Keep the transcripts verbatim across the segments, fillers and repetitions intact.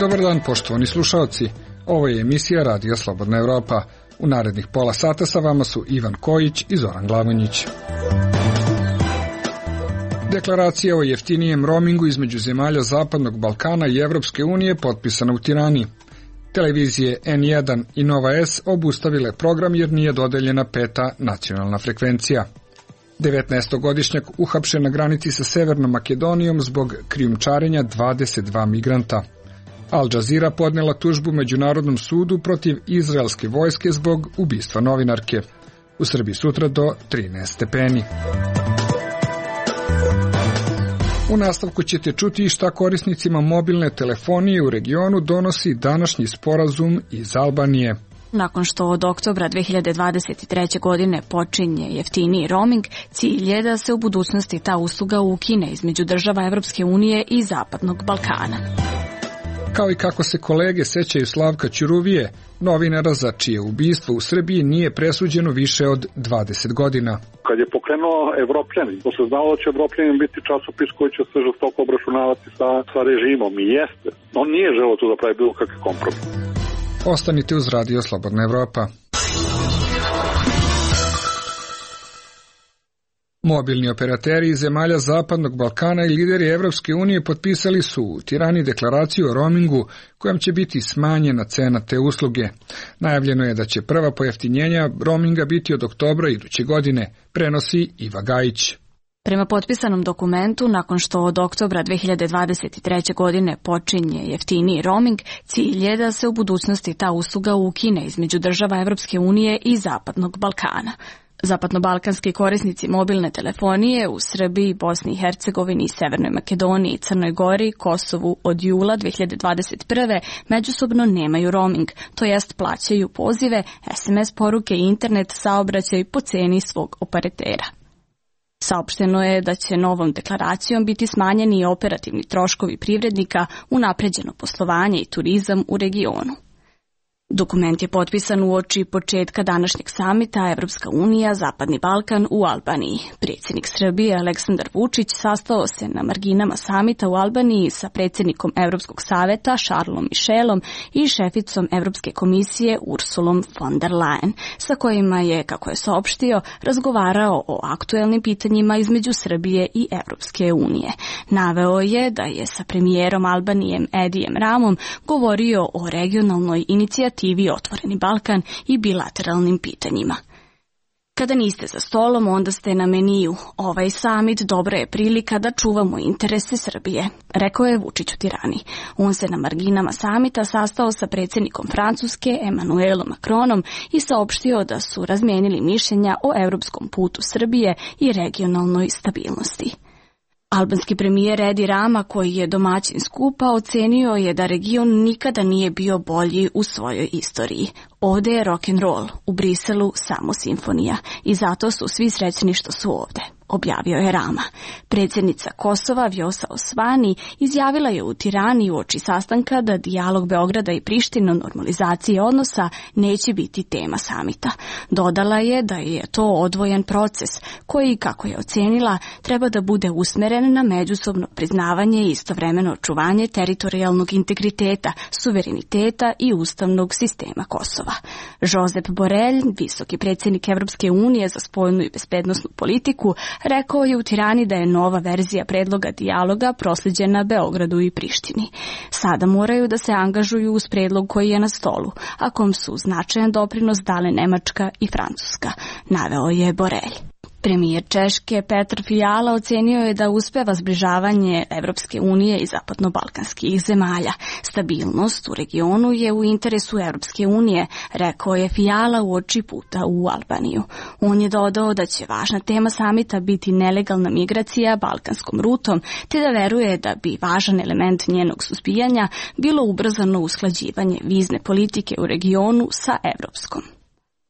Dobar dan, poštovani slušaoci. Ovo je emisija Radio Slobodna Evropa. U narednih pola sata sa vama su Ivan Kojić i Zoran Glavonjić. Deklaracija o jeftinijem roamingu između zemalja Zapadnog Balkana i Evropske unije potpisana u Tirani. Televizije N jedan i Nova S obustavile program jer nije dodeljena peta nacionalna frekvencija. devetnaestogodišnjak uhapšen na granici sa Severnom Makedonijom zbog krijumčarenja dvadeset dva migranta. Al Jazeera podnela tužbu Međunarodnom sudu protiv izraelske vojske zbog ubistva novinarke. U Srbiji sutra do trinaest stepeni. U nastavku ćete čuti šta korisnicima mobilne telefonije u regionu donosi današnji sporazum iz Albanije. Nakon što od oktobra dve hiljade dvadeset treće. godine počinje jeftiniji roaming, cilj je da se u budućnosti ta usluga ukine između država Evropske unije i Zapadnog Balkana. Kao i kako se kolege sećaju Slavka Ćuruvije, novinara za čije ubistvo u Srbiji nije presuđeno više od dvadeset godina. Kad je pokrenuo Evropljanin, to se znalo da će Evropljanin biti časopis koji će se žestoko obračunavati sa, sa režimom i jeste. On nije želeo tu da pravi bilo kakve kompromis. Ostanite uz Radio Slobodna Evropa. Mobilni operateri iz zemalja Zapadnog Balkana i lideri Evropske unije potpisali su u Tirani deklaraciju o roamingu kojom će biti smanjena cena te usluge. Najavljeno je da će prva pojeftinjenja roaminga biti od oktobra iduće godine, prenosi Iva Gajić. Prema potpisanom dokumentu, nakon što od oktobra dve hiljade dvadeset treće. godine počinje jeftiniji roaming, cilj je da se u budućnosti ta usluga ukine između država Evropske unije i Zapadnog Balkana. Zapadnobalkanski korisnici mobilne telefonije u Srbiji, Bosni i Hercegovini, Severnoj Makedoniji, Crnoj Gori, Kosovu od jula dve hiljade dvadeset prve. međusobno nemaju roaming, to jest plaćaju pozive, es em es poruke i internet saobraćaj po ceni svog operatera. Saopšteno je da će novom deklaracijom biti smanjeni i operativni troškovi privrednika, unapređeno poslovanje i turizam u regionu. Dokument je potpisan uoči početka današnjeg samita Evropska unija Zapadni Balkan u Albaniji. Predsjednik Srbije Aleksandar Vučić sastao se na marginama samita u Albaniji sa predsjednikom Evropskog saveta Charlesom Michelom i šeficom Evropske komisije Ursulom von der Leyen, sa kojima je, kako je saopštio, razgovarao o aktuelnim pitanjima između Srbije i Evropske unije. Naveo je da je sa premijerom Albanijem Edijem Ramom govorio o regionalnoj inicijativi Otvoreni Balkan i bilateralnim pitanjima. Kada niste za stolom, onda ste na meniju. Ovaj samit dobra je prilika da čuvamo interese Srbije, rekao je Vučić u Tirani. On se na marginama samita sastao sa predsjednikom Francuske Emmanuelom Macronom i saopštio da su razmenili mišljenja o europskom putu Srbije i regionalnoj stabilnosti. Albanski premijer Edi Rama, koji je domaćin skupa, ocenio je da region nikada nije bio bolji u svojoj istoriji. Ovde je rock'n'roll, u Briselu samo simfonija i zato su svi srećni što su ovde, objavio je Rama. Predsjednica Kosova Vjosa Osmani izjavila je u Tirani uoči sastanka da dijalog Beograda i Prištine o normalizaciji odnosa neće biti tema samita. Dodala je da je to odvojen proces koji, kako je ocenila, treba da bude usmeren na međusobno priznavanje i istovremeno očuvanje teritorijalnog integriteta, suvereniteta i ustavnog sistema Kosova. Josep Borrell, visoki predsjednik Evropske unije za spoljnu i bezbednosnu politiku, rekao je u Tirani da je nova verzija predloga dijaloga proslijeđena Beogradu i Prištini. Sada moraju da se angažuju uz predlog koji je na stolu, a kom su značajan doprinos dale Nemačka i Francuska, naveo je Borrell. Premijer Češke Petr Fiala ocenio je da uspeva zbližavanje Evropske unije i zapadnobalkanskih zemalja. Stabilnost u regionu je u interesu Evropske unije, rekao je Fiala uoči puta u Albaniju. On je dodao da će važna tema samita biti nelegalna migracija balkanskom rutom, te da veruje da bi važan element njenog suzbijanja bilo ubrzano usklađivanje vizne politike u regionu sa evropskom.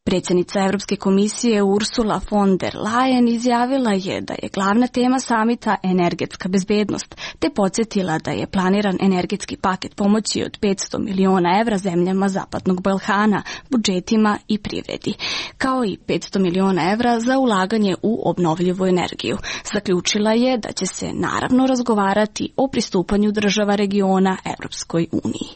Predsjednica Evropske komisije Ursula von der Leyen izjavila je da je glavna tema samita energetska bezbednost, te podsjetila da je planiran energetski paket pomoći od petsto miliona evra zemljama Zapadnog Balkana, budžetima i privredi, kao i petsto miliona evra za ulaganje u obnovljivu energiju. Zaključila je da će se naravno razgovarati o pristupanju država regiona Evropskoj uniji.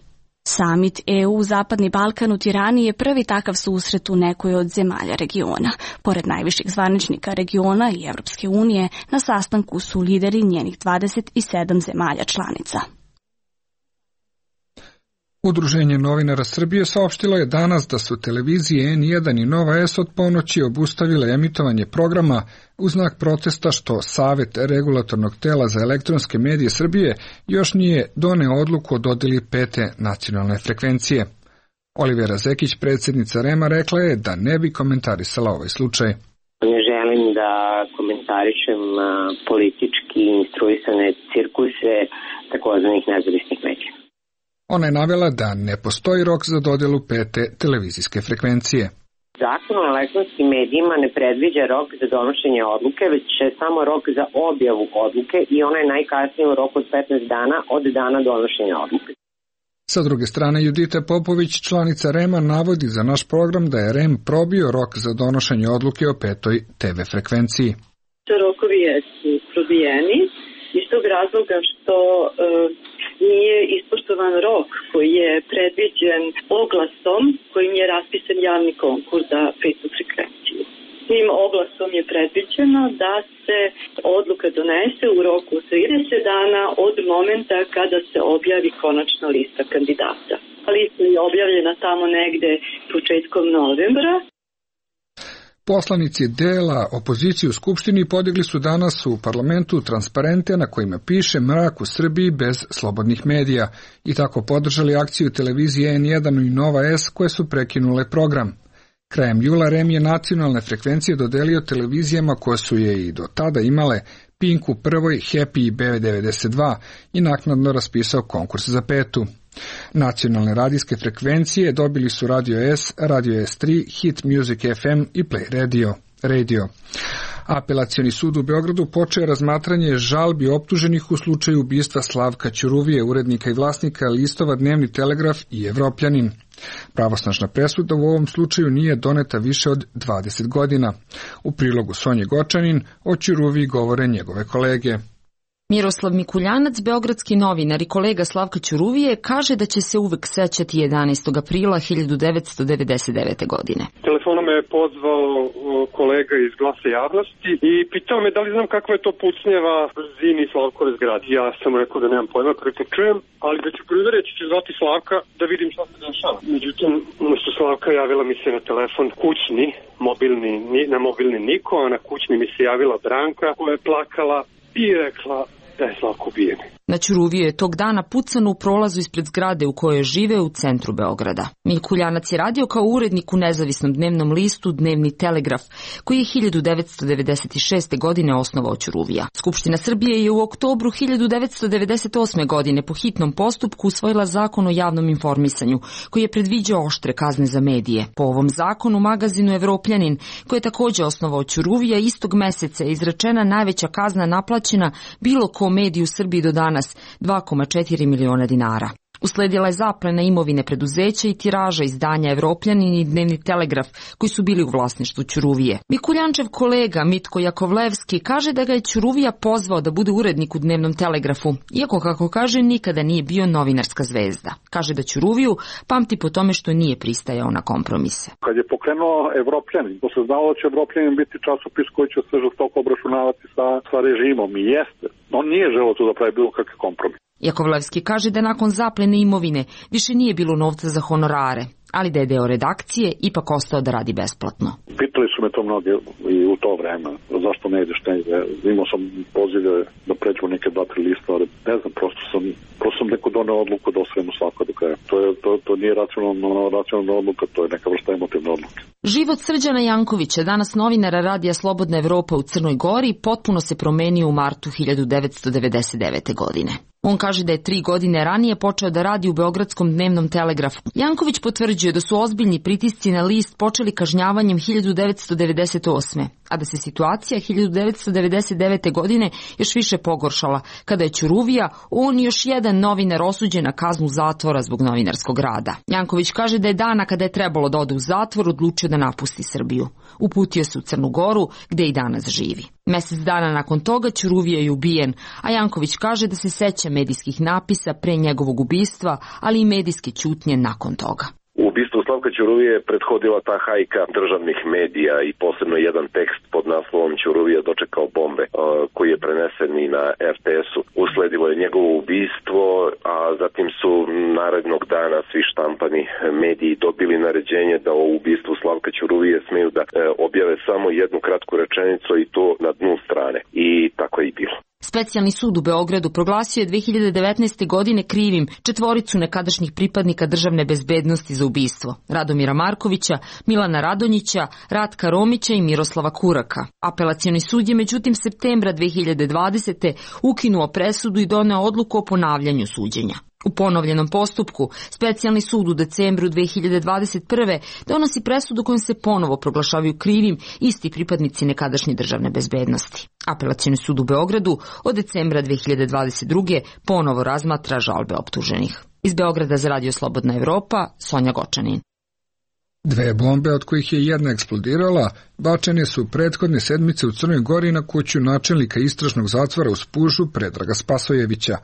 Samit E U Zapadni Balkan u Tirani je prvi takav susret u nekoj od zemalja regiona. Pored najviših zvaničnika regiona i Evropske unije, na sastanku su lideri njenih dvadeset sedam zemalja članica. Udruženje novinara Srbije saopštilo je danas da su televizije N jedan i Nova S od ponoći obustavile emitovanje programa u znak protesta što Savet regulatornog tela za elektronske medije Srbije još nije doneo odluku o dodeli pete nacionalne frekvencije. Olivera Zekić, predsjednica R E M-a, rekla je da ne bi komentarisala ovaj slučaj. Ne želim da komentarišem politički instruisane cirkuse takozvanih nezavisnih medija. Ona je navela da ne postoji rok za dodelu pete televizijske frekvencije. Zakon o elektronskim medijima ne predviđa rok za donošenje odluke, već je samo rok za objavu odluke i ona je najkasnije u roku od petnaest dana od dana donošenja odluke. Sa druge strane, Judita Popović, članica R E M-a, navodi za naš program da je R E M probio rok za donošenje odluke o petoj te ve frekvenciji. Rokovi su probijeni iz tog razloga što e, nije ispoštovan rok koji je predviđen oglasom kojim je raspisan javni konkurs za petu frekvenciju. Tim oglasom je predviđeno da se odluka donese u roku od trideset dana od momenta kada se objavi konačna lista kandidata. Lista je objavljena tamo negde početkom novembra. Poslanici dela opozicije u Skupštini podigli su danas u parlamentu transparente na kojima piše mrak u Srbiji bez slobodnih medija i tako podržali akciju televizije N jedan i Nova S koje su prekinule program. Krajem jula R E M je nacionalne frekvencije dodelio televizijama koje su je i do tada imale Pinku prvoj, Happy i B devedeset dva i naknadno raspisao konkurs za petu. Nacionalne radijske frekvencije dobili su Radio S, Radio S tri, Hit Music F M i Play Radio. Radio. Apelacioni sud u Beogradu počeo je razmatranje žalbi optuženih u slučaju ubistva Slavka Ćuruvije, urednika i vlasnika listova Dnevni telegraf i Evropljanin. Pravosnažna presuda u ovom slučaju nije doneta više od dvadeset godina. U prilogu Sonje Gočanin o Ćuruviji govore njegove kolege. Miroslav Mikuljanac, beogradski novinar i kolega Slavka Ćuruvije, kaže da će se uvek sećati jedanaestog aprila hiljadu devetsto devedeset devete. godine. Telefonom me je pozvao kolega iz Glasa javnosti i pitao me da li znam kakva je to pucnjeva brzini Slavkove zgrade. Ja sam rekao da nemam pojma, prvi put čujem, ali da ću prvi reći ću zvati Slavka da vidim šta se dešava. Međutim, umesto Slavka javila mi se na telefon kućni, mobilni, na mobilni niko, a na kućni mi se javila Branka koja je plakala i rekla da je Slavko ubijen. Na Ćuruviju je tog dana pucano u prolazu ispred zgrade u kojoj žive u centru Beograda. Mikuljanac je radio kao urednik u nezavisnom dnevnom listu Dnevni telegraf, koji je hiljadu devetsto devedeset šeste. godine osnovao Ćuruvija. Skupština Srbije je u oktobru hiljadu devetsto devedeset osme. godine po hitnom postupku usvojila zakon o javnom informisanju, koji je predviđao oštre kazne za medije. Po ovom zakonu magazinu Evropljanin, koji je takođe osnovao Ćuruvija, istog meseca je izrečena najveća kazna naplaćena bilo ko mediju u Srbiji do dana, dva zarez četiri miliona dinara. Usledila je zaplena imovine preduzeća i tiraža izdanja Evropljanin i Dnevni telegraf, koji su bili u vlasništvu Ćuruvije. Mikuljančev kolega Mitko Jakovlevski kaže da ga je Ćuruvija pozvao da bude urednik u Dnevnom telegrafu, iako, kako kaže, nikada nije bio novinarska zvezda. Kaže da Ćuruviju pamti po tome što nije pristajao na kompromise. Kad je pokrenuo Evropljanin, to se znalo da će Evropljanin biti časopis koji će se žestoko obračunavati sa, sa režimom i jeste. On nije želeo tu da pravi bilo kakve kompromis. Jakovlevski kaže da nakon zaplene imovine više nije bilo novca za honorare, ali da je deo redakcije ipak ostao da radi besplatno. Pitali su me to mnogi i u to vreme, zašto ne ideš negde. Imao sam pozive da pređu neke dva, tri lista, ali ne znam, prosto sam, prosto sam neko doneo odluku da osvojimo svako do kraja. To, je, to, to nije racionalna, racionalna odluka, to je neka vrsta emotivna odluka. Život Srđana Jankovića, danas novinara Radija Slobodna Evropa u Crnoj Gori, potpuno se promenio u martu hiljadu devetsto devedeset devete. godine. On kaže da je tri godine ranije počeo da radi u Beogradskom Dnevnom telegrafu. Janković potvrđuje da su ozbiljni pritisci na list počeli kažnjavanjem hiljadu devetsto devedeset osme. a da se situacija hiljadu devetsto devedeset devete. godine još više pogoršala, kada je Ćuruvija, on i još jedan novinar osuđen na kaznu zatvora zbog novinarskog rada. Janković kaže da je dana kada je trebalo da ode u zatvor odlučio da napusti Srbiju. Uputio se u Crnu Goru, gde i danas živi. Mesec dana nakon toga Ćuruvija je ubijen, a Janković kaže da se seća medijskih napisa pre njegovog ubistva, ali i medijske ćutnje nakon toga. Ubistvu Slavka Ćuruvije je prethodila ta hajka državnih medija i posebno jedan tekst pod naslovom Ćuruvija dočekao bombe, koji je prenesen i na er te esu. Usledilo je njegovo ubistvo, a zatim su narednog dana svi štampani mediji dobili naređenje da o ubistvu Slavka Ćuruvije smeju da objave samo jednu kratku rečenicu i to na dnu strane. I tako je i bilo. Specijalni sud u Beogradu proglasio je dve hiljade devetnaeste. godine krivim četvoricu nekadašnjih pripadnika državne bezbednosti za ubistvo: Radomira Markovića, Milana Radonjića, Ratka Romića i Miroslava Kuraka. Apelacioni sud je međutim septembra dve hiljade dvadesete. ukinuo presudu i doneo odluku o ponavljanju suđenja. U ponovljenom postupku, specijalni sud u decembru dve hiljade dvadeset prve. donosi presudu kojom se ponovo proglašavaju krivim isti pripadnici nekadašnje državne bezbednosti. Apelacioni sud u Beogradu od decembra dve hiljade dvadeset druge. ponovo razmatra žalbe optuženih. Iz Beograda za Radio Slobodna Evropa, Sonja Gočanin. Dve bombe, od kojih je jedna eksplodirala, bačene su prethodne sedmice u Crnoj Gori na kuću načelnika istražnog zatvora u Spužu Predraga Spasojevića.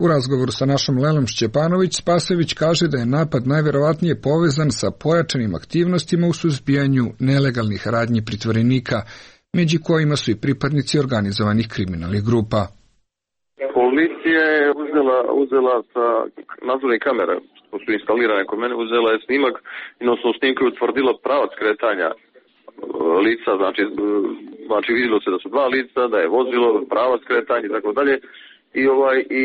U razgovoru sa našom Lelom Šćepanović, Spasojević kaže da je napad najverovatnije povezan sa pojačanim aktivnostima u suzbijanju nelegalnih radnji pritvorenika, među kojima su i pripadnici organizovanih kriminalnih grupa. Policija je uzela, uzela sa nadzornih kamera, što su instalirane kod mene, uzela je snimak i na osnovu snimka je utvrdila pravac kretanja lica, znači, znači vidjelo se da su dva lica, da je vozilo, pravac kretanja i tako dalje. I ovaj i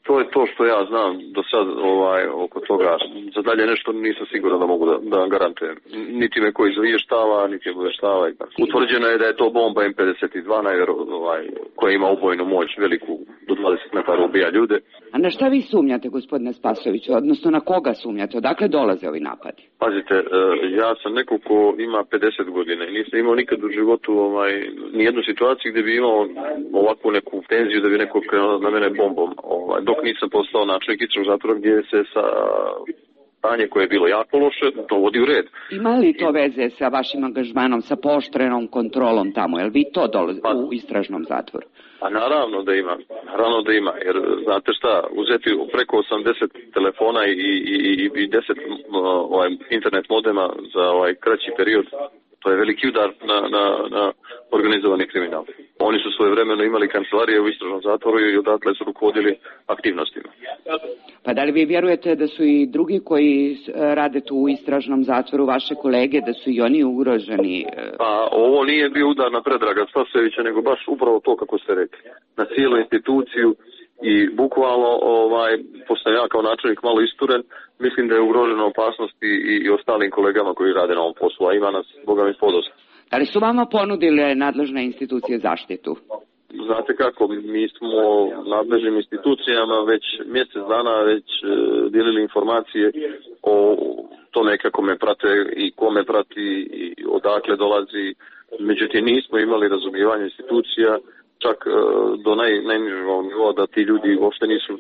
to je to što ja znam do sad ovaj oko toga. Za dalje nešto nisam siguran da mogu da, da garantujem. Niti me koji izvještava, niti me obavještava. Utvrđeno je da je to bomba em pedeset dva ovaj, koja ima ubojnu moć veliku do dvadeset metara, ubija ljude. A na šta vi sumnjate, gospodine Spasojeviću, odnosno na koga sumnjate? Odakle dolaze ovi napadi? Pazite, ja sam neko ko ima pedeset godina i nisam imao nikad u životu ovaj, nijednu situaciju gdje bi imao ovakvu neku tenziju da bi neko krenuo na mene bombom. Ovaj, dok nisam postao načelnik istražnog zatvora gdje se sa stanje koje je bilo jako loše dovodi u red. Ima li to veze sa vašim angažmanom, sa pooštrenom kontrolom tamo? Jel vi to dolazi pa, u istražnom zatvoru? A naravno da ima, naravno da ima, jer znate šta, uzeti preko osamdeset telefona i, i, i deset ovaj, internet modema za ovaj kraći period, to je veliki udar na, na, na organizovani kriminal. Oni su svojevremeno imali kancelarije u istražnom zatvoru i odatle su rukovodili aktivnostima. Pa da li vi vjerujete da su i drugi koji rade tu u istražnom zatvoru, vaše kolege, da su i oni ugroženi? Pa ovo nije bio udar na Predraga Spasojevića, nego baš upravo to kako ste rekli. Na cijelu instituciju i bukvalno, ovaj, pošto ja kao načelnik malo isturen, mislim da je ugrožena opasnost i, i ostalim kolegama koji rade na ovom poslu, a ima nas, boga mi, podosta. Da li su vama ponudile nadležne institucije zaštitu? Znate kako, mi smo nadležnim institucijama već mjesec dana već e, dijelili informacije o tome kako me prate i kome prati i odakle dolazi. Međutim, nismo imali razumijevanje institucija, čak e, do naj, najnižeg nivoa da ti ljudi uopšte nisu,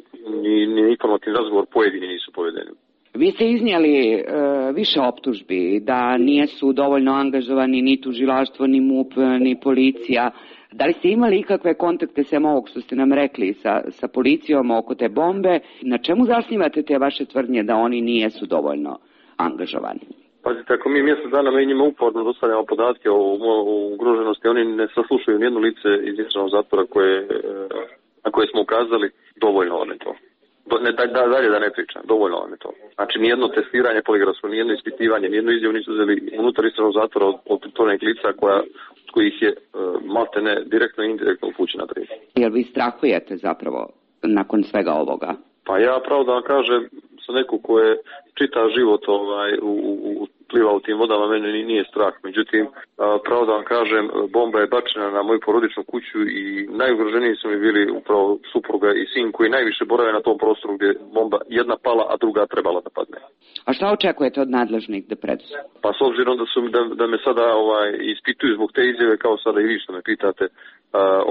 ni, ni informativni razgovor pojedini nisu povedeni. Vi ste iznijeli e, više optužbi da nisu dovoljno angažovani ni tužilaštvo, ni MUP, ni policija. Da li ste imali ikakve kontakte sem ovog što ste nam rekli sa, sa policijom oko te bombe? Na čemu zasnivate te vaše tvrdnje da oni nijesu dovoljno angažovani? Pazite, ako mi mjesec dana mi njima uporno dostavljamo podatke o, o ugroženosti, oni ne saslušaju nijedno lice iz istražnog zatvora koje, na koje smo ukazali, dovoljno vam je to. Ne, da, da, dalje da ne pričam, dovoljno vam je to. Znači, nijedno testiranje poligrafsko, nijedno ispitivanje, nijedno izjavu nisu uzeli unutar istražnog zatvora od, od pritvorenih lica koja, kojih je uh, maltene direktno i indirektno upućena prijava. Jel vi strahujete zapravo nakon svega ovoga? Pa ja pravo da vam kažem, sa neko ko je čita život ovaj, u, u, pliva u tim vodama, mene nije strah. Međutim, pravo da vam kažem, bomba je bačena na moju porodičnu kuću i najugroženiji su mi bili upravo supruga i sin koji najviše borave na tom prostoru gdje bomba jedna pala, a druga trebala da padne. A šta očekujete od nadležnih da preduzme? Pa s obzirom da, su, da, da me sada ovaj, ispituju zbog te izjave, kao sada i vi što me pitate, uh,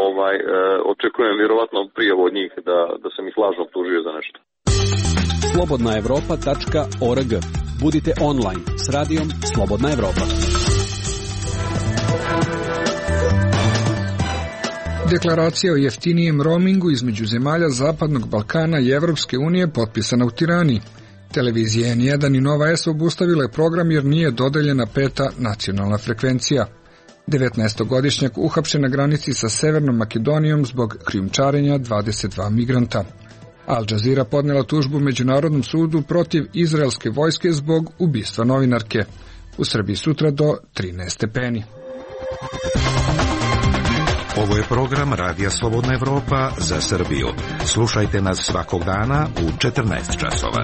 ovaj, uh, očekujem vjerovatno prijavu od njih da, da sam ih lažno optužio za nešto. slobodna evropa tačka org. Budite online s radijom Slobodna Evropa. Deklaracija o jeftinijem roamingu između zemalja Zapadnog Balkana i Evropske unije potpisana u Tirani. Televizije en jedan i Nova S obustavile program jer nije dodeljena peta nacionalna frekvencija. devetnaestogodišnjak uhapšen na granici sa Severnom Makedonijom zbog krijumčarenja dvadeset dva migranta. Al Jazeera podnela tužbu Međunarodnom sudu protiv izraelske vojske zbog ubistva novinarke. U Srbiji sutra do trinaest stepeni. Ovo je program Radija Slobodna Evropa za Srbiju. Slušajte nas svakog dana u četrnaest časova.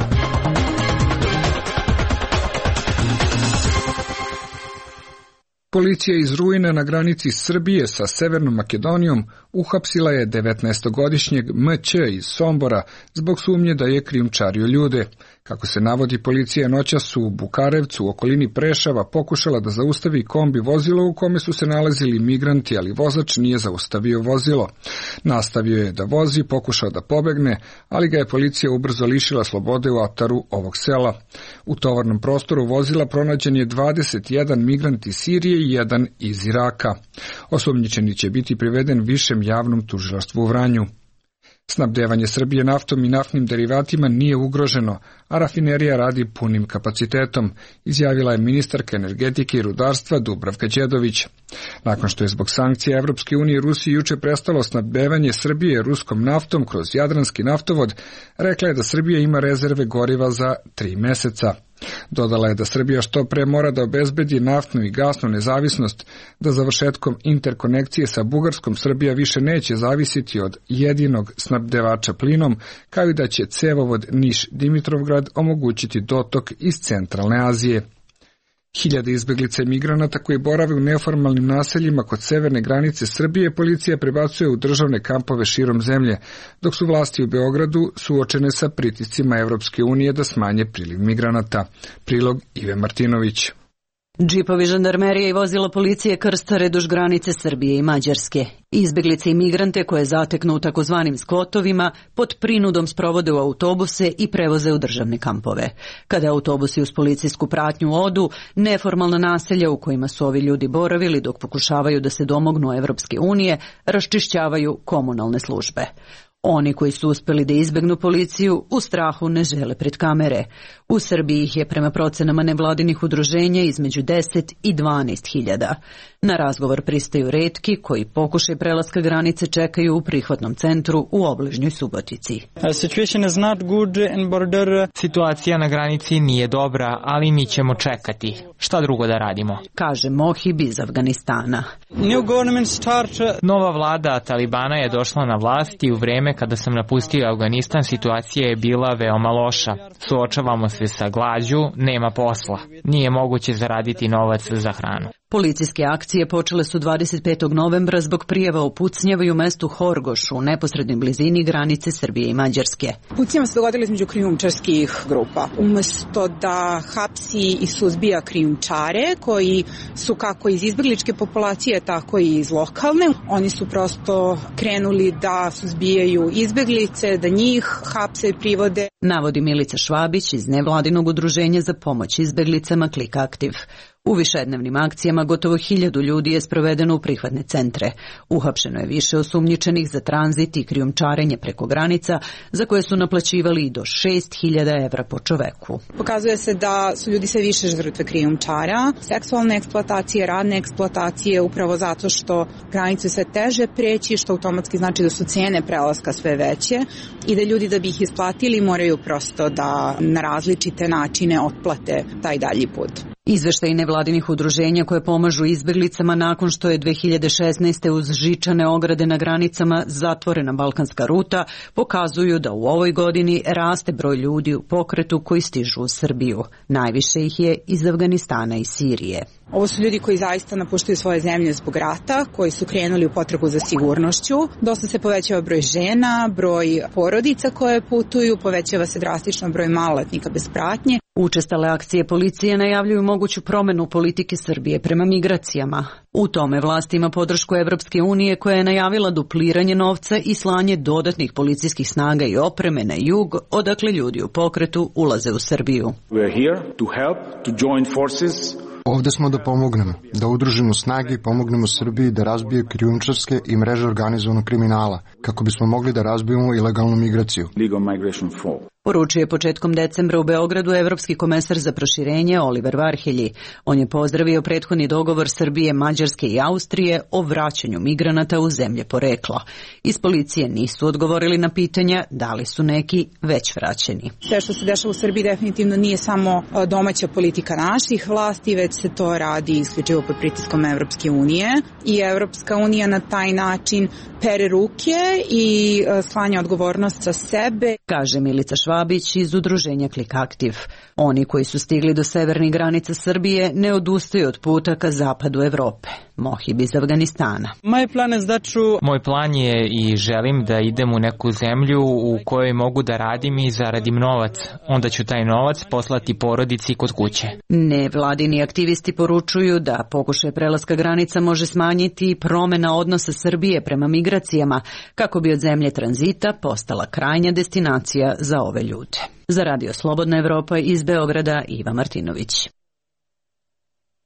Policija iz Rujne na granici Srbije sa Severnom Makedonijom uhapsila je devetnaestogodišnjeg M Ć iz Sombora zbog sumnje da je krijumčario ljude. Kako se navodi, policija noćas u Bukarevcu u okolini Preševa pokušala da zaustavi kombi vozilo u kome su se nalazili migranti, ali vozač nije zaustavio vozilo. Nastavio je da vozi, pokušao da pobegne, ali ga je policija ubrzo lišila slobode u ataru ovog sela. U tovarnom prostoru vozila pronađen je dvadeset jedan migrant iz Sirije i jedan iz Iraka. Osumnjičeni će biti priveden višem javnom tužilaštvu u Vranju. Snabdevanje Srbije naftom i naftnim derivatima nije ugroženo, a rafinerija radi punim kapacitetom, izjavila je ministarka energetike i rudarstva Dubravka Đedović. Nakon što je zbog sankcija Evropske unije Rusiji juče prestalo snabdevanje Srbije ruskom naftom kroz Jadranski naftovod, rekla je da Srbija ima rezerve goriva za tri meseca. Dodala je da Srbija što pre mora da obezbedi naftnu i gasnu nezavisnost, da završetkom interkonekcije sa Bugarskom Srbija više neće zavisiti od jedinog snabdevača plinom, kao i da će cevovod Niš-Dimitrovgrad omogućiti dotok iz centralne Azije. Hiljade izbeglica i migranata koji borave u neformalnim naseljima kod severne granice Srbije policija prebacuje u državne kampove širom zemlje, dok su vlasti u Beogradu suočene sa pritiscima Evropske unije da smanje priliv migranata. Prilog Ive Martinović. Džipovi žandarmerije i vozila policije krstare duž granice Srbije i Mađarske. Izbeglice i migrante koje zateknu u takozvanim skvotovima pod prinudom sprovode u autobuse i prevoze u državne kampove. Kada autobusi uz policijsku pratnju odu, neformalna naselja u kojima su ovi ljudi boravili dok pokušavaju da se domognu Evropske unije, raščišćavaju komunalne službe. Oni koji su uspeli da izbegnu policiju u strahu ne žele pred kamere. U Srbiji ih je prema procenama nevladinih udruženja između deset i dvanaest hiljada. Na razgovor pristaju retki koji pokušaj prelaska granice čekaju u prihvatnom centru u obližnjoj Subotici. Situacija na granici nije dobra, ali mi ćemo čekati. Šta drugo da radimo? Kaže Mohib iz Afganistana. Nova vlada Talibana je došla na vlast i u vreme kada sam napustio Afganistan situacija je bila veoma loša. Suočavamo se sa glađu, nema posla. Nije moguće zaraditi novac za hranu. Policijske akcije počele su dvadeset petog novembra zbog prijava o pucnjavaju u mestu Horgoš u neposrednoj blizini granice Srbije i Mađarske. Pucnjava se dogodila između krijumčarskih grupa. Umesto da hapsi i suzbija krijumčare koji su kako iz izbegličke populacije, tako i iz lokalne, oni su prosto krenuli da suzbijaju izbeglice, da njih hapse i privode. Navodi Milica Švabić iz nevladinog udruženja za pomoć izbeglicama Klik Aktiv. U višednevnim akcijama gotovo hiljadu ljudi je sprovedeno u prihvatne centre. Uhapšeno je više osumnjičenih za tranzit i krijumčarenje preko granica, za koje su naplaćivali i do šest hiljada evra po čoveku. Pokazuje se da su ljudi sve više žrtve krijumčara, seksualne eksploatacije, radne eksploatacije, upravo zato što granice sve teže preći, što automatski znači da su cene prelaska sve veće i da ljudi da bi ih isplatili moraju prosto da na različite načine otplate taj dalji put. Izveštaj nevladinih udruženja koje pomažu izbeglicama nakon što je dve hiljade šesnaeste. uz žičane ograde na granicama zatvorena balkanska ruta pokazuju da u ovoj godini raste broj ljudi u pokretu koji stižu u Srbiju. Najviše ih je iz Afganistana i Sirije. Ovo su ljudi koji zaista napuštaju svoje zemlje zbog rata, koji su krenuli u potragu za sigurnošću. Dosta se povećava broj žena, broj porodica koje putuju, povećava se drastično broj maloletnika bez pratnje. Učestale akcije policije najavljuju moguću promenu politike Srbije prema migracijama. U tome vlast ima podršku Evropske unije koja je najavila dupliranje novca i slanje dodatnih policijskih snaga i opreme na jug, odakle ljudi u pokretu ulaze u Srbiju. We are here to help, to join forces. Ovde smo da pomognemo, da udružimo snage i pomognemo Srbiji da razbije krijumčarske i mreže organizovanog kriminala, kako bismo mogli da razbijemo ilegalnu migraciju. Legal migration flow. Poručio je početkom decembra u Beogradu evropski komesar za proširenje Oliver Varhelji. On je pozdravio prethodni dogovor Srbije, Mađarske i Austrije o vraćanju migranata u zemlje porekla. Iz policije nisu odgovorili na pitanja da li su neki već vraćeni. Sve što se dešava u Srbiji definitivno nije samo domaća politika naših vlasti, već se to radi isključivo pod pritiskom Evropske unije i Evropska unija na taj način pere ruke i slanja odgovornost sa sebe. Kaže Milica Švabić iz udruženja Klik Aktiv. Oni koji su stigli do severnih granica Srbije ne odustaju od puta ka zapadu Evrope. Mohib iz Afganistana. Moj plan je i želim da idem u neku zemlju u kojoj mogu da radim i zaradim novac. Onda ću taj novac poslati porodici kod kuće. Nevladini aktivisti poručuju da pokušaj prelaska granica može smanjiti promena odnosa Srbije prema migracijama, kako bi od zemlje tranzita postala krajnja destinacija za ove ljude. Za Radio Slobodna Evropa iz Beograda Iva Martinović.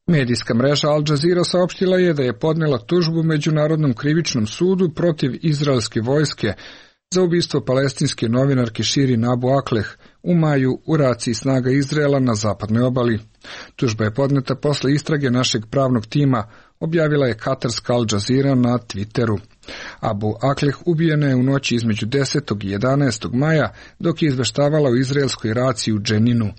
Medijska mreža Al Jazeera saopštila je da je podnela tužbu Međunarodnom krivičnom sudu protiv izraelske vojske za ubistvo palestinske novinarke Shirin Abu Akleh u maju u raciji snaga Izraela na zapadnoj obali. Tužba je podneta posle istrage našeg pravnog tima, objavila je katarska Al Jazeera na Twitteru. Abu Akleh ubijena je u noći između desetog i jedanaestog maja dok je izveštavala o izraelskoj raciji u Dženinu.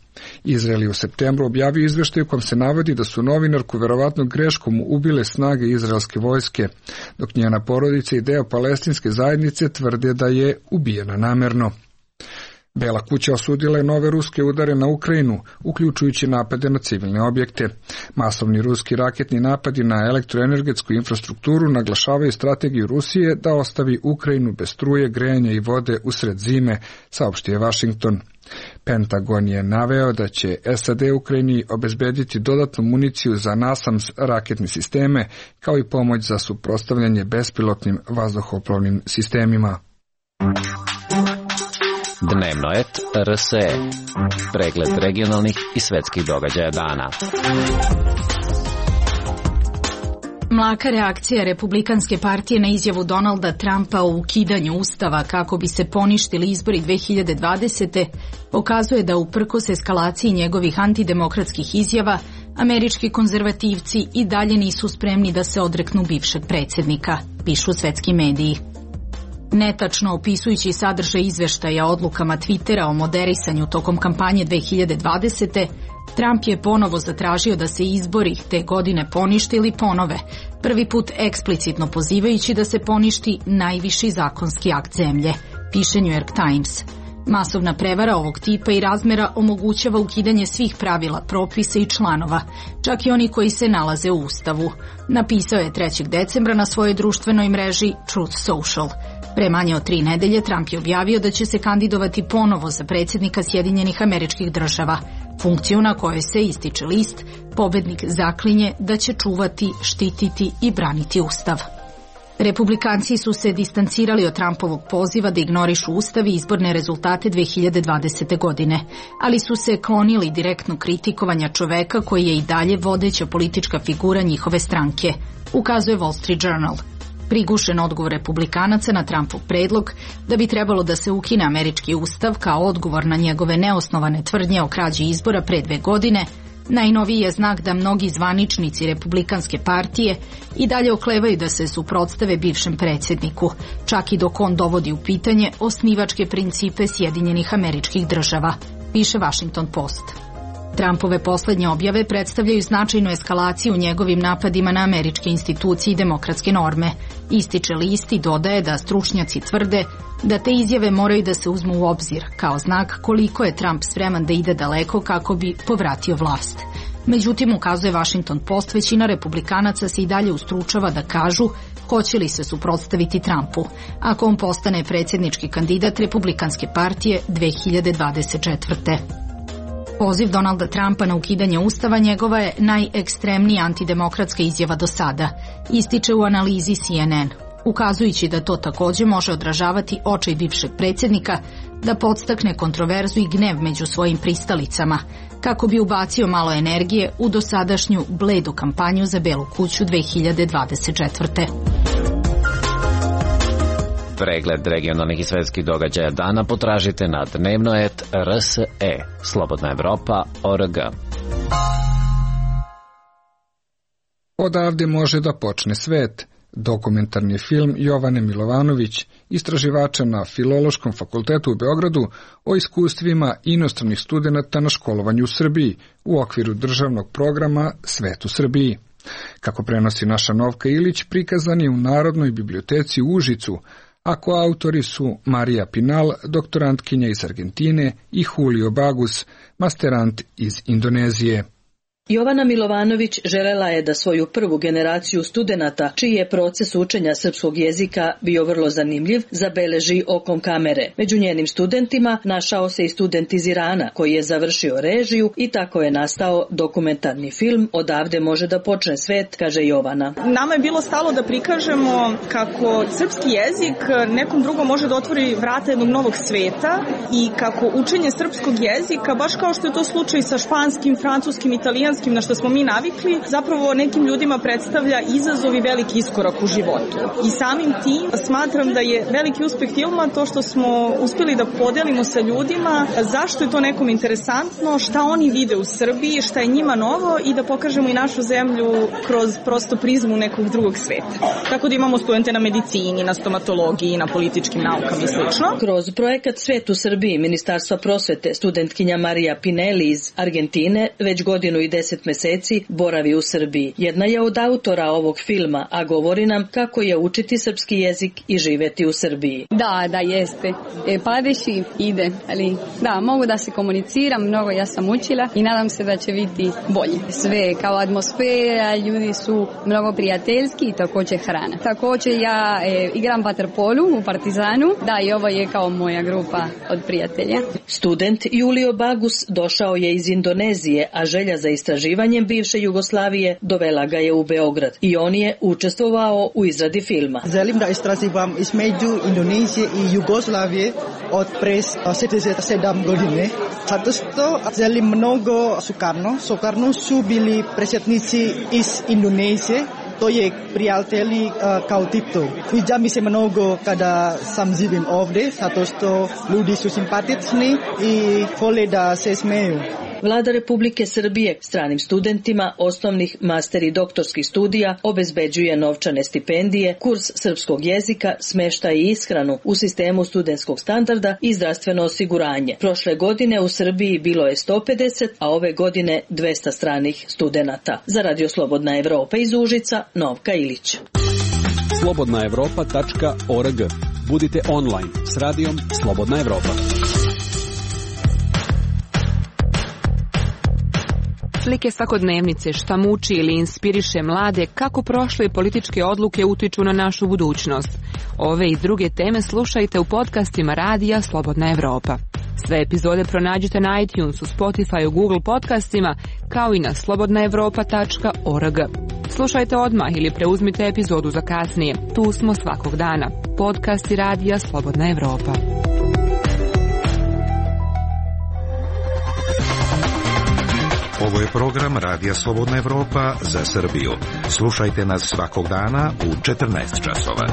Izrael je u septembru objavio izveštaj u kom se navodi da su novinarku verovatno greškom ubile snage izraelske vojske, dok njena porodica i deo palestinske zajednice tvrde da je ubijena namerno. Bela kuća osudila je nove ruske udare na Ukrajinu, uključujući napade na civilne objekte. Masovni ruski raketni napadi na elektroenergetsku infrastrukturu naglašavaju strategiju Rusije da ostavi Ukrajinu bez struje, grejanja i vode usred zime, saopštio Washington. Pentagon je naveo da će S A D Ukrajini obezbediti dodatnu municiju za NASAMS raketne sisteme, kao i pomoć za suprotstavljanje bespilotnim vazduhoplovnim sistemima. Dnevno et R S E. Pregled regionalnih i svetskih događaja dana. Mlaka reakcija Republikanske partije na izjavu Donalda Trumpa o ukidanju ustava kako bi se poništili izbori dve hiljade dvadesete. pokazuje da uprkos eskalaciji njegovih antidemokratskih izjava, američki konzervativci i dalje nisu spremni da se odreknu bivšeg predsjednika, pišu svetski mediji. Netačno opisujući sadržaj izveštaja o odlukama Twittera o moderisanju tokom kampanje dve hiljade dvadesete. Trump je ponovo zatražio da se izbori te godine ponište ili ponove, prvi put eksplicitno pozivajući da se poništi najviši zakonski akt zemlje, piše New York Times. Masovna prevara ovog tipa i razmera omogućava ukidanje svih pravila, propisa i članova, čak i oni koji se nalaze u Ustavu, napisao je trećeg decembra na svojoj društvenoj mreži Truth Social. Pre manje od tri nedelje Trump je objavio da će se kandidovati ponovo za predsjednika Sjedinjenih Američkih Država, funkciju na kojoj se, ističe list, pobednik zaklinje da će čuvati, štititi i braniti Ustav. Republikanci su se distancirali od Trumpovog poziva da ignorišu Ustav i izborne rezultate dve hiljade dvadesete. godine, ali su se klonili direktno kritikovanja čoveka koji je i dalje vodeća politička figura njihove stranke, ukazuje Wall Street Journal. Prigušen odgovor Republikanaca na Trumpov predlog da bi trebalo da se ukine američki ustav kao odgovor na njegove neosnovane tvrdnje o krađi izbora pre dve godine, najnoviji je znak da mnogi zvaničnici Republikanske partije i dalje oklevaju da se suprotstave bivšem predsjedniku, čak i dok on dovodi u pitanje osnivačke principe Sjedinjenih Američkih Država, piše Washington Post. Trumpove poslednje objave predstavljaju značajnu eskalaciju u njegovim napadima na američke institucije i demokratske norme. Ističe list i dodaje da stručnjaci tvrde da te izjave moraju da se uzmu u obzir kao znak koliko je Trump spreman da ide daleko kako bi povratio vlast. Međutim, ukazuje Washington Post, većina republikanaca se i dalje ustručava da kažu hoće li se suprotstaviti Trumpu ako on postane predsjednički kandidat Republikanske partije dve hiljade dvadeset četvrte. Poziv Donalda Trumpa na ukidanje ustava njegova je najekstremnija antidemokratska izjava do sada, ističe u analizi C N N, ukazujući da to takođe može odražavati očaj bivšeg predsjednika da podstakne kontroverzu i gnev među svojim pristalicama, kako bi ubacio malo energije u dosadašnju bledu kampanju za Belu kuću dve hiljade dvadeset četvrte. Pregled regionalnih i svetskih događaja dana potražite na dnevno et r s e, slobodna evropa tačka org. Odavde može da počne svet. Dokumentarni film Jovane Milovanović, istraživača na Filološkom fakultetu u Beogradu, o iskustvima inostranih studenata na školovanju u Srbiji u okviru državnog programa Svet u Srbiji. Kako prenosi naša Novka Ilić, prikazan je u Narodnoj biblioteci u Užicu, a koautori su Marija Pinal, doktorantkinja iz Argentine, i Julio Bagus, masterant iz Indonezije. Jovana Milovanović želela je da svoju prvu generaciju studenata, čiji je proces učenja srpskog jezika bio vrlo zanimljiv, zabeleži okom kamere. Među njenim studentima našao se i student iz Irana, koji je završio režiju i tako je nastao dokumentarni film Odavde može da počne svet, kaže Jovana. Nama je bilo stalo da prikažemo kako srpski jezik nekom drugom može da otvori vrata jednog novog sveta i kako učenje srpskog jezika, baš kao što je to slučaj sa španskim, francuskim, italijanskim, na što smo mi navikli, zapravo nekim ljudima predstavlja izazov i veliki iskorak u životu. I samim tim smatram da je veliki uspeh filma to što smo uspjeli da podelimo sa ljudima zašto je to nekom interesantno, šta oni vide u Srbiji, šta je njima novo i da pokažemo i našu zemlju kroz prosto prizmu nekog drugog sveta. Tako da imamo studente na medicini, na stomatologiji, na političkim naukama i slično. Kroz projekat Svet u Srbiji Ministarstva prosvete studentkinja Marija Pinelli iz Argentine već godinu i deset meseci boravi u Srbiji. Jedna je od autora ovog filma, a govori nam kako je učiti srpski jezik i živeti u Srbiji. Da, da, jeste. E, padeći ide, ali da, mogu da se komuniciram, mnogo ja sam učila i nadam se da će biti bolje. Sve kao atmosfera, ljudi su mnogo prijateljski i također hrana. Također ja e, igram vaterpolu u Partizanu, da, i ovo je kao moja grupa od prijatelja. Student Julio Bagus došao je iz Indonezije, a želja za istraživanjem bivše Jugoslavije dovela ga je u Beograd i on je učestvovao u izradi filma. Želim da istraživam između Indonezije i Jugoslavije od pre šezdeset sedam godine. Zato što želim mnogo Sukarno. Sukarno su bili predsjednici iz Indonezije. To je prijatelji uh, kao Tito. Sviđa mi se mnogo kada sam živim ovdje, zato što ljudi su simpatični i vole da se smeju. Vlada Republike Srbije stranim studentima osnovnih, master i doktorskih studija obezbeđuje novčane stipendije, kurs srpskog jezika, smeštaj i ishranu u sistemu studentskog standarda i zdravstveno osiguranje. Prošle godine u Srbiji bilo je sto pedeset, a ove godine dvesta stranih studenata. Za Radio Slobodna Evropa iz Užica, Novka Ilić. slobodna evropa tačka org. Budite online s radijom Slobodna Evropa. Slike svakodnevnice, šta muči ili inspiriše mlade, kako prošle političke odluke utiču na našu budućnost. Ove i druge teme slušajte u podcastima Radija Slobodna Evropa. Sve epizode pronađite na iTunesu, Spotifyu, Google podcastima, kao i na slobodna evropa tačka org. Slušajte odmah ili preuzmite epizodu za kasnije. Tu smo svakog dana. Podcasti Radija Slobodna Evropa. Ovo je program Radija Slobodna Evropa za Srbiju. Slušajte nas svakog dana u četrnaest časova.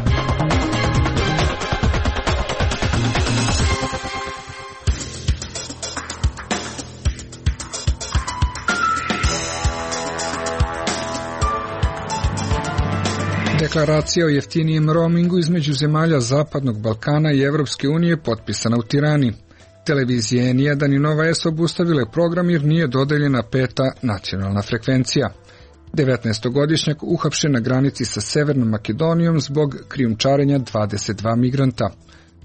Deklaracija o jeftinijem roamingu između zemalja Zapadnog Balkana i Evropske unije potpisana u Tirani. Televizije N jedan i Nova S obustavile program jer nije dodeljena peta nacionalna frekvencija. devetnaestogodišnjak uhapšen na granici sa Severnom Makedonijom zbog krijumčarenja dvadeset dva migranta.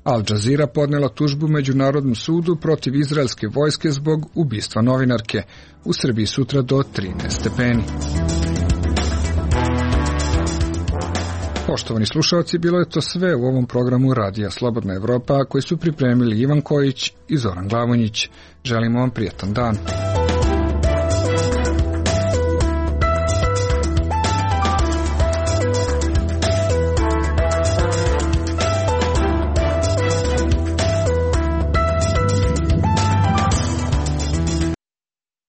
Al Jazeera podnela tužbu Međunarodnom sudu protiv izraelske vojske zbog ubistva novinarke. U Srbiji sutra do trinaest stepeni. Poštovani slušalci, bilo je to sve u ovom programu Radija Slobodna Evropa koji su pripremili Ivan Kojić i Zoran Glavonjić. Želimo vam prijatan dan.